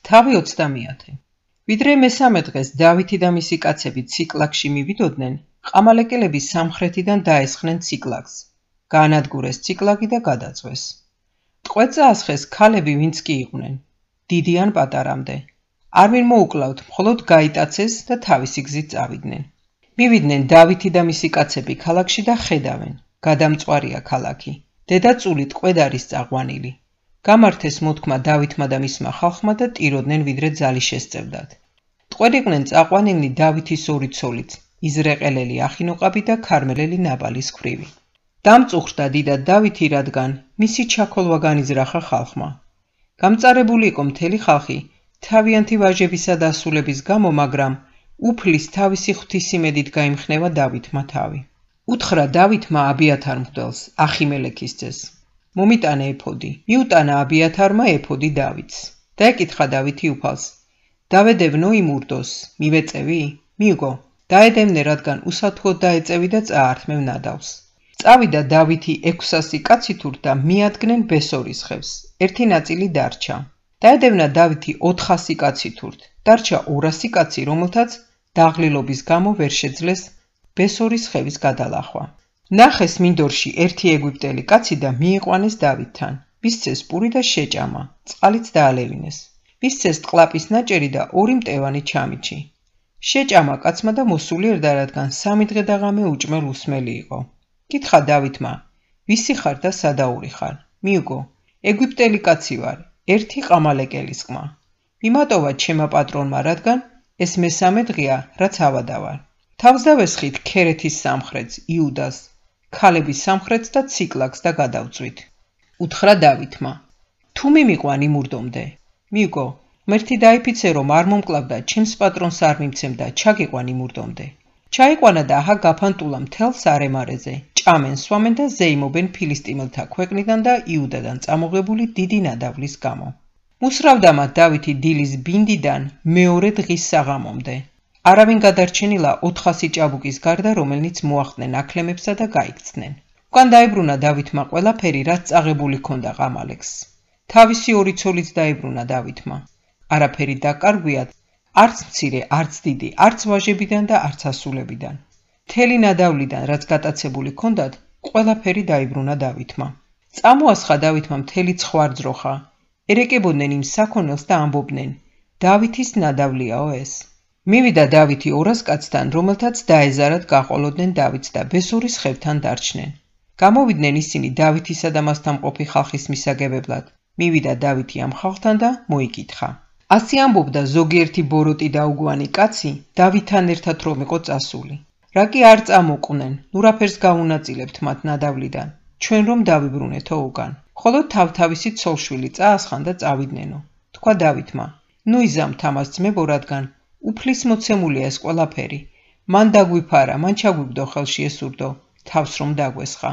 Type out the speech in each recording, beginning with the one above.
თავი 30. ვიდრე მესამე დღეს დავითი და მისი კაცები ციკლაგში მივიდოდნენ, ყამალეკელები სამხრეთიდან დაესხნენ ციკლაგს. გაანადგურეს ციკლაგი და გადაწვეს. ტყვედ წაასხეს ქალები, ვინც კი იყვნენ, დიდი ან პატარამდე. არ მიმოუკლავთ, მხოლოდ გაიტაცეს და თავისი გზით წავიდნენ. მივიდნენ დავითი და მისი კაცები ქალაქში და ხედავენ. გადამწვარია ქალაქი. დედა წული ტყვედ არის წაყვანილი. გამართეს მოთქმა დავითმა და მისმა ხალხმა და ტიროდნენ ვიდრე ძალი შესწევდათ. ტყვედ იყვნენ წაყვანილნი დავითის ორი ცოლიც, იზრაელელი ახინოყაბი და ქარმელელი ნაბალის ქვრივი. დამწუხრდა დიდად დავითი, რადგან მისი ჩაქოლვა განიზრახა ხალხმა. გამწარებული იყო მთელი ხალხი თავიანთი ვაჟებისა და ასულების გამო, მაგრამ უფლის თავისი ღვთისმედით გაიმხნევა დავითმა თავი. უთხრა დავითმა აბიათარ მღვდელს, ახიმელექის ძეს. მომიტანა ეფოდი. მიუტანა აბიათარმა ეფოდი დავითს. და ეკითხა დავითი უფალს: დავედევნო იმ ურდოს, მივეწევი? მიუგო, დაედევნე, რადგან უსათუოდ დაეწევი და წაართმევ ნადავს. წავიდა დავითი 600 კაცით და მიადგნენ ბესორის ხევს. ერთი ნაწილი დარჩა. დაედევნა დავითი 400 კაცით, დარჩა 200 კაცი, რომელთაც დაღლილობის გამო ვერ შეძლეს ბესორის ხევის გადალახვა. ნახეს მინდორში ერთი ეგვიპტელი კაცი და მიიყვანეს დავითთან. მისცეს პური და შეჭამა, წყალიც დაალევინეს. მისცეს ტყლაპის ნაჭერი და 2 მტევანი ჩამიჩი. შეჭამა კაცმა და მოსულიერდა, რადგან 3 დღე და ღამე უჭმელ უსმელი იყო. კითხა დავითმა: ვისი ხარ და სადაური ხარ? მიუგო, ეგვიპტელი კაცი ვარ, ერთი ყამალეკელის ყმა. მიმატოვა ჩემმა პატრონმა, რადგან ეს მესამე დღეა, რაც ავადა ვარ. თავს დავესხით ქერეთის სამხრეთს, იუდას, ქალების სამხრეთს და ციკლაგს და გადავწვით. უთხრა დავითმა: თუ მიმიყვან იმ ურდომდე? მიუგო, მერთი დაიფიცე, რომ არ მომკლავდა, ჩემს პატრონს არ მიმცემ და ჩაგიყვან იმ ურდომდე. ჩაიყვანა და აჰა გაფანტულა მთელ სარემარეზე, ჭამენ, სვამენ და ზეიმობენ ფილისტიმელთა ქვეყნიდან და იუდადან წამოღებული დიდი ნადავლის გამო. მუსრავდა მათ დავითი დილის ბინდიდან მეორე დღის საღამომდე. არავინ გადარჩენილა 400 ჭაბუკის გარდა, რომელნიც მოახდნენ აქლემებსა და გაიქცნენ. უკან დაებრუნა დავითმა ყველაფერი, რაც წაღებული ჰქონდა ყამალეკს. თავისი 2 ცოლიც დაებრუნა დავითმა. არაფერი დაკარგვიათ, არც მცირე, არც დიდი, არც ვაჟებიდან და არც ასულებიდან. მთელი ნადავლიდან, რაც გატაცებული ჰქონდათ, ყველაფერი დაიბრუნა დავითმა. წამოასხა დავითმა მთელი ცხვარძროხა. ერეკებოდნენ იმ საქონელს და ამბობდნენ: დავითის ნადავლიაო ეს. მივიდა დავითი 200 კაცთან, რომელთაც დაეზარათ გაყოლოდნენ დავითს და ბესორის ხევთან დარჩნენ. გამოვიდნენ ისინი დავითისა და მასთან მყოფი ხალხის მისაგებებლად. მივიდა დავითი ამ ხალხთან და მოიკითხა. ასე ამბობდა ზოგიერთი ბოროტი და უგვანი კაცი დავითთან ერთად რომ იყო წასული. რა კი არ წამოყვნენ, ნურაფერს გაუნაწილებთ მათ ნადავლიდან, ჩვენ რომ დავიბრუნეთო უკან. ხოლო თავთავისი ცოლშვილი წაასხან და წავიდნენო. თქვა დავითმა: ნუ იზამთ ამას ძმებო, რადგან უფლის მოცემულია ეს ყველაფერი. მან დაგვიფარა, მან ჩაგვიგდო ხელში ეს ურდო, თავს რომ დაგვესხა.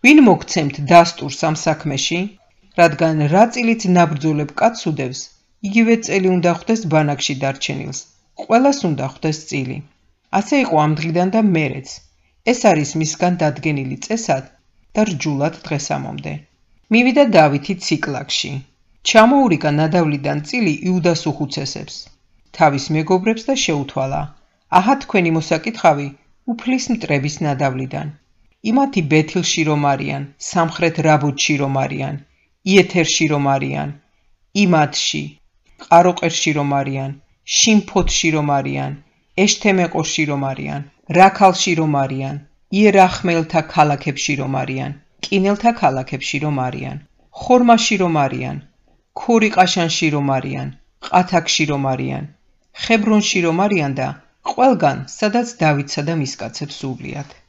ვინ მოგცემთ დასტურს ამ საქმეში? რადგან რა წილით ნაბრძოლებ კაცს უდევს, იგივე წელი უნდა ხვდეს ბანაკში დარჩენილს, ყველას უნდა ხვდეს წილი. ასე იყო ამ დღიდან და მერეც. ეს არის მისგან დადგენილი წესად და რჯულად დღესამომდე. მივიდა დავითი ციკლაგში. ჩამოურიგა ნადავლიდან წილი იუდას უხუცესებს, თავის მეგობრებს და შეუთვალა: აჰა თქვენი მოსაკითხავი უფლის მტრების ნადავლიდან. იმათი ბეთილში რომ არიან, სამხრეთ რაბოთში რომ არიან, იეთერში რომ არიან, იმათში, ყაროყერში რომ არიან, შიმფოთში რომ არიან, ეშთემეყოში რომ არიან, რაქალში რომ არიან, იერახმელთა ქალაქებში რომ არიან, კინელთა ქალაქებში რომ არიან, ხორმაში რომ არიან, ქორიყაშანში რომ არიან, ყათაკში რომ არიან, ხებრონში რომ არიან და ყველგან, სადაც დავითსა და მის კაცებს უვლიათ.